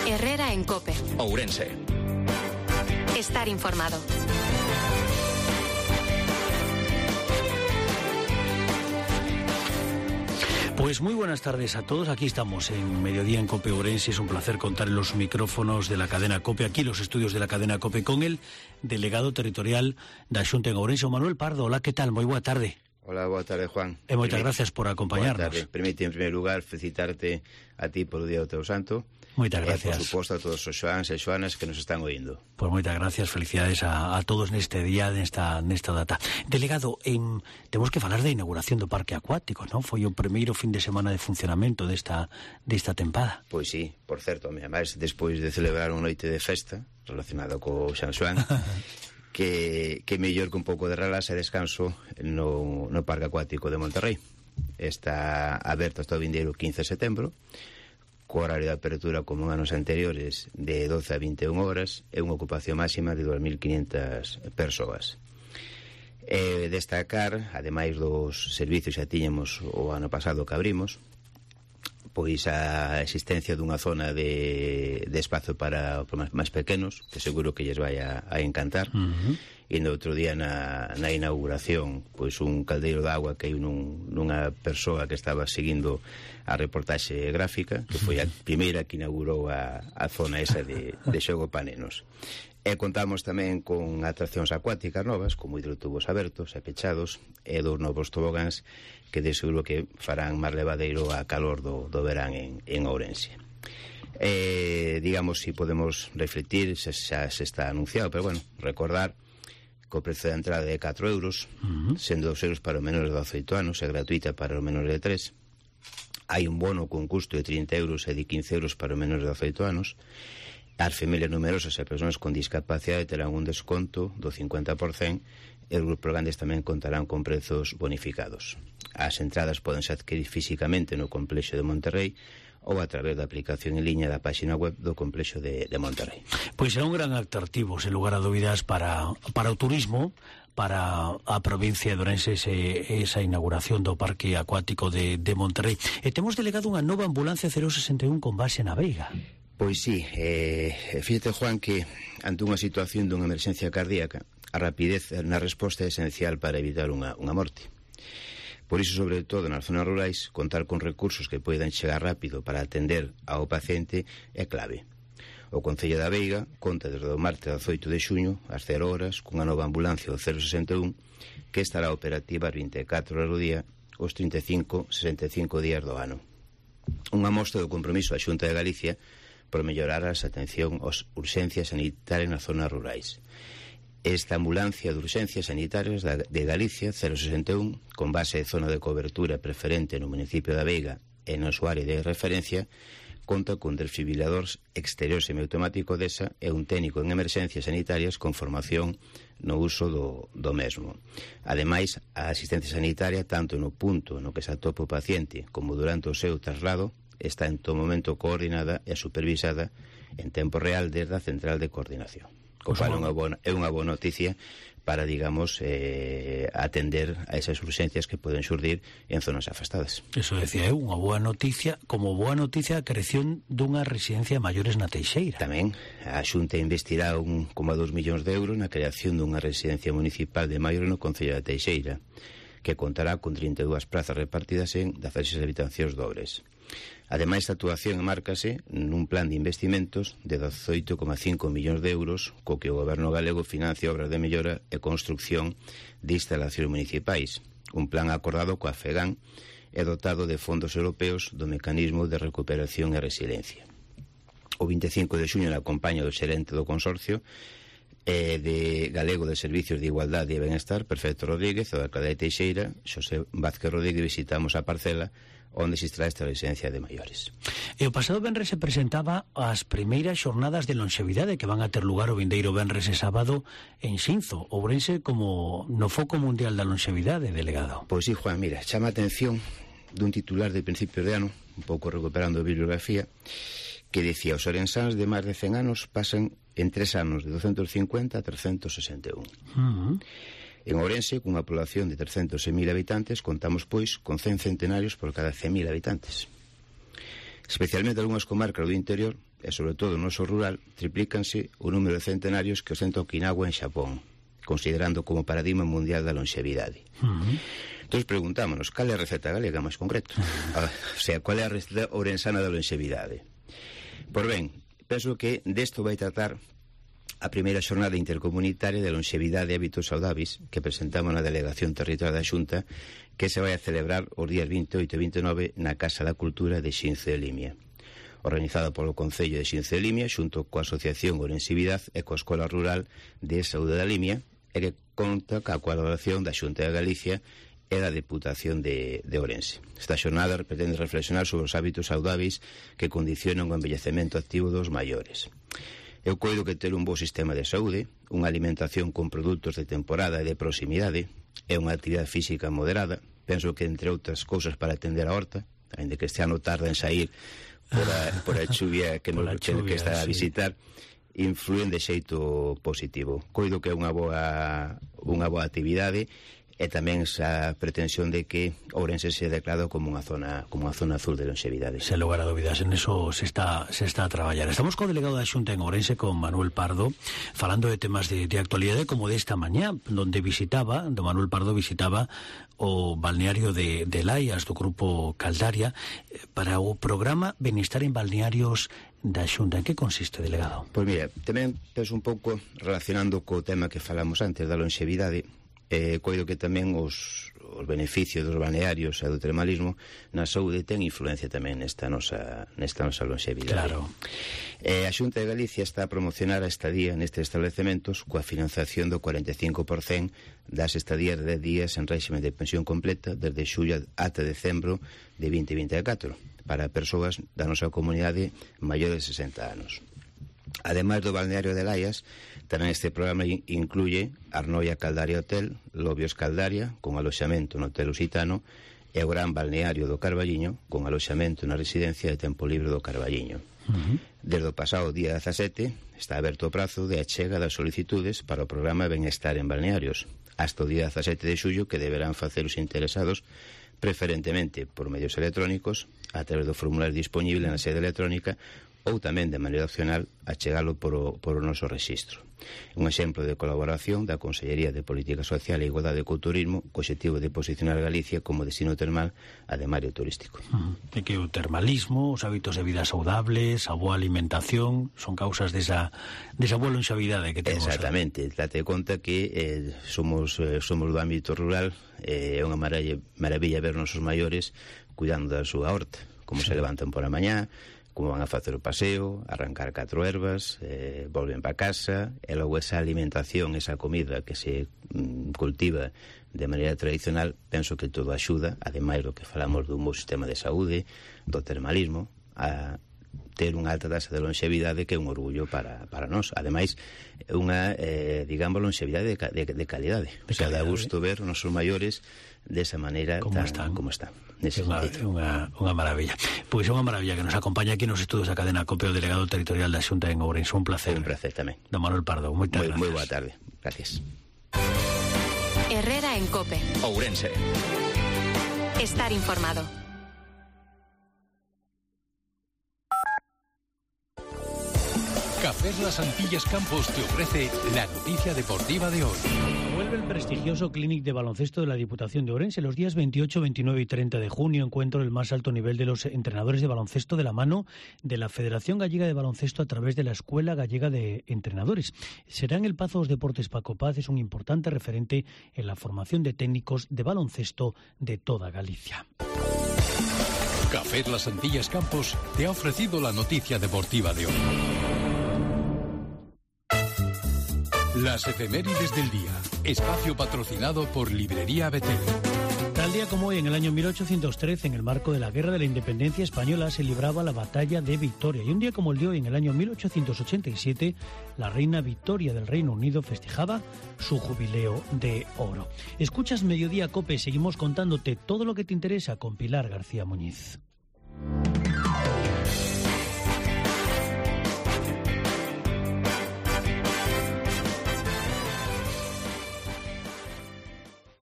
Herrera en COPE. Ourense. Estar informado. Pues muy buenas tardes a todos. Aquí estamos en Mediodía en COPE Ourense. Es un placer contar en los micrófonos de la cadena COPE, aquí los estudios de la cadena COPE, con el delegado territorial da Xunta en Ourense, Manuel Pardo. Hola, ¿qué tal? Muy boa tarde. Hola, boa tarde, Juan. Moitas gracias por acompañarnos. Permite, en primer lugar, felicitarte a ti por o Día do Teu Santo. Moitas gracias. Por suposto, a todos os xoans e xoanas que nos están oindo. Pues moitas gracias, felicidades a todos neste día, nesta data. Delegado, temos que falar da inauguración do Parque Acuático, non? Foi o primeiro fin de semana de funcionamento desta tempada. Pois sí, por certo, además, despois de celebrar unha noite de festa relacionada co San Xoán, que mellor que un pouco de relax e descanso no Parque Acuático de Monterrey. Está aberto hasta o vindeiro 15 de setembro, co horario de apertura como en anos anteriores de 12 a 21 horas e unha ocupación máxima de 2.500 persoas. Destacar, ademais dos servicios xa tiñamos o ano pasado que abrimos, pois a existencia dunha zona de espazo para máis pequenos, que seguro que lles vai a encantar. E no outro día na inauguración, pois un caldeiro de agua que hai nunha persoa que estaba seguindo a reportaxe gráfica, que foi a primeira que inaugurou a zona esa de xogo pa nenos. E contamos tamén con atraccións acuáticas novas, como hidrotubos abertos e pechados, e dos novos tobogáns que de seguro que farán máis levadeiro a calor do verán en Ourense. Digamos, si podemos refletir, xa se está anunciado, pero bueno, recordar que o prezo de entrada é 4 euros, sendo 2 euros para os menores de 18 anos e gratuita para os menores de 3. Hai un bono con custo de 30 euros e de 15 euros para os menores de 18 anos. As familias numerosas e persoas con discapacidade terán un desconto do 50% e os grupos grandes tamén contarán con prezos bonificados. As entradas podense adquirir físicamente no complexo de Monterrey ou a través da aplicación en liña da páxina web do complexo de Monterrey. Pois será un gran atractivo, sen lugar a dúbidas, para o turismo, para a provincia de Ourense, esa inauguración do Parque Acuático de Monterrey. E temos delegado unha nova ambulancia 061 con base na Veiga. Pois sí, fíjate, Juan, que ante unha situación dunha emerxencia cardíaca, a rapidez na resposta é esencial para evitar unha morte. Por iso, sobre todo nas zonas rurais, contar con recursos que poidan chegar rápido para atender ao paciente é clave. O Concello da Veiga conta desde o martes 18 de xuño ás 0 horas cunha nova ambulancia do 061 que estará operativa as 24 horas do día os 65 días do ano. Unha mostra do compromiso da Xunta de Galicia por mellorar a atención ás urxencias sanitarias nas zonas rurais. Esta ambulancia de urxencias sanitarias de Galicia 061, con base de zona de cobertura preferente no municipio da Veiga e no súa área de referencia, conta con desfibrilador exterior semiautomático desa e un técnico en emerxencias sanitarias con formación no uso do mesmo. Ademais, a asistencia sanitaria, tanto no punto no que se atopa o paciente como durante o seu traslado, está en todo momento coordinada e supervisada en tempo real desde a central de coordinación. O cual é unha boa noticia para, digamos, atender a esas urxencias que poden xurdir en zonas afastadas. Eso decía eu, unha boa noticia, como boa noticia a creación dunha residencia de maiores na Teixeira. Tamén, a Xunta investirá 1,2 millóns de euros na creación dunha residencia municipal de maiores no Concello da Teixeira, que contará con 32 plazas repartidas en 16 habitacións dobres. Ademais, a actuación enmárcase nun plan de investimentos de 18,5 millóns de euros co que o Goberno galego financia obras de mellora e construcción de instalacións municipais, un plan acordado coa FEGAN e dotado de fondos europeos do Mecanismo de Recuperación e Resiliencia. O 25 de xuño, na compañía do xerente do consorcio de Galego de Servicios de Igualdade e Benestar, Perfecto Rodríguez, o da alcalde de Teixeira, Xosé Vázquez Rodríguez, visitamos a parcela onde se extrae esta residencia de maiores. E o pasado venres se presentaba as primeiras xornadas de lonxevidade que van a ter lugar o vindeiro venres e sábado en Xinzo, Ourense como no foco mundial da lonxevidade, delegado. Pois sí, Juan, mira, chama a atención dun titular de principios de ano, un pouco recuperando a bibliografía, que dicía: os orensáns de máis de 100 anos pasan en 3 anos de 250 a 361. En Ourense, cunha población de 306.000 habitantes, contamos, pois, con 100 centenarios por cada 100.000 habitantes. Especialmente algunhas comarcas do interior, e sobre todo no noso rural, triplícanse o número de centenarios que ostenta Okinawa en Xapón, considerando como paradigma mundial da longevidade. Entón preguntámonos, cal é a receta galega máis concreto? O sea, cal é a receta ourensana da longevidade? Por ben, penso que desto vai tratar a primeira xornada intercomunitaria de longevidade e hábitos saudáveis que presentamos na Delegación Territorial da Xunta, que se vai a celebrar os días 28 e 29 na Casa da Cultura de Xinzo de Limia, organizada polo Concello de Xinzo de Limia xunto coa Asociación Ourensividade e coa Escola Rural de Saúde da Limia, e que conta ca colaboración da Xunta de Galicia e da Deputación de Ourense. Esta xornada pretende reflexionar sobre os hábitos saudáveis que condicionan o envellecemento activo dos maiores. Eu coido que ter un bo sistema de saúde, unha alimentación con produtos de temporada e de proximidade, e unha actividade física moderada, penso que entre outras cousas para atender a horta, ainda que este ano tarda en sair por a chuvia que está a visitar, influen de xeito positivo. Coido que é unha boa actividade, e tamén esa pretensión de que Ourense se declarado como unha zona azul de longevidade. Sen lugar a dúbidas, en eso se está a traballar. Estamos co delegado da Xunta en Ourense, con Manuel Pardo, falando de temas de actualidade como desta mañá, donde Manuel Pardo visitaba o balneario de Laias, do grupo Caldaria, para o programa Benestar en Balnearios da Xunta. En que consiste, delegado? Pois mira, tamén penso un pouco relacionando co tema que falamos antes da longevidade. Coido que tamén os beneficios dos balnearios e do termalismo na saúde ten influencia tamén nesta nosa longevidade. Claro. A Xunta de Galicia está a promocionar a estadía nestes establecementos coa financiación do 45% das estadías de 10 días en réxime de pensión completa desde xullo ata decembro de 2024 para persoas da nosa comunidade maiores de 60 anos. Ademais do balneario de Laias, tamén este programa incluye Arnoia Caldaria Hotel, Lobios Caldaria, con aloxamento no Hotel Lusitano, e o Gran Balneario do Carballiño, con aloxamento na residencia de tempo libre do Carballiño. Desde o pasado día 17 está aberto o prazo de achega das solicitudes para o programa Benestar en Balnearios, hasta o día 17 de xullo, que deberán facer os interesados preferentemente por medios electrónicos, a través do formulario disponible na sede electrónica, ou tamén de maneira opcional achegalo por o noso rexistro. Un exemplo de colaboración da Consellería de Política Social e Igualdade e Culturismo co obxectivo de posicionar Galicia como destino termal ademais de turístico. É que o termalismo, os hábitos de vida saudables, a boa alimentación son causas desa boa longevidade que temos. Exactamente, date conta que somos do ámbito rural, é unha maravilla ver nosos maiores cuidando da súa horta, como se levantan por a mañá, como van a facer o paseo, arrancar 4 ervas, volven para casa, e logo esa alimentación, esa comida que se cultiva de maneira tradicional, penso que todo axuda, ademais do que falamos dun bo sistema de saúde, do termalismo, a ter unha alta taxa de longevidade que é un orgullo para nós. Ademais, unha, digamos, longevidade de calidade. O sea, dá gusto ver os nosos maiores desa maneira como están. Unha maravilla. Pois é unha maravilla que nos acompaña aquí nos estudos da cadena COPE, o delegado territorial da Xunta en Ourense. Un placer. Un placer tamén. Don Manuel Pardo, moitas gracias. Moi boa tarde. Gracias. Herrera en COPE. Ourense. Estar informado. Cafés Las Antillas Campos te ofrece la noticia deportiva de hoy. Vuelve el prestigioso Clínic de baloncesto de la Diputación de Ourense los días 28, 29 y 30 de junio. Encuentro el más alto nivel de los entrenadores de baloncesto de la mano de la Federación Gallega de Baloncesto a través de la Escuela Gallega de Entrenadores. Será en el Pazo dos Deportes Paco Paz, es un importante referente en la formación de técnicos de baloncesto de toda Galicia. Cafés Las Antillas Campos te ha ofrecido la noticia deportiva de hoy. Las efemérides del día. Espacio patrocinado por Librería Betel. Tal día como hoy, en el año 1813, en el marco de la Guerra de la Independencia Española, se libraba la Batalla de Victoria. Y un día como el de hoy, en el año 1887, la reina Victoria del Reino Unido festejaba su jubileo de oro. Escuchas Mediodía COPE, seguimos contándote todo lo que te interesa con Pilar García Muñiz.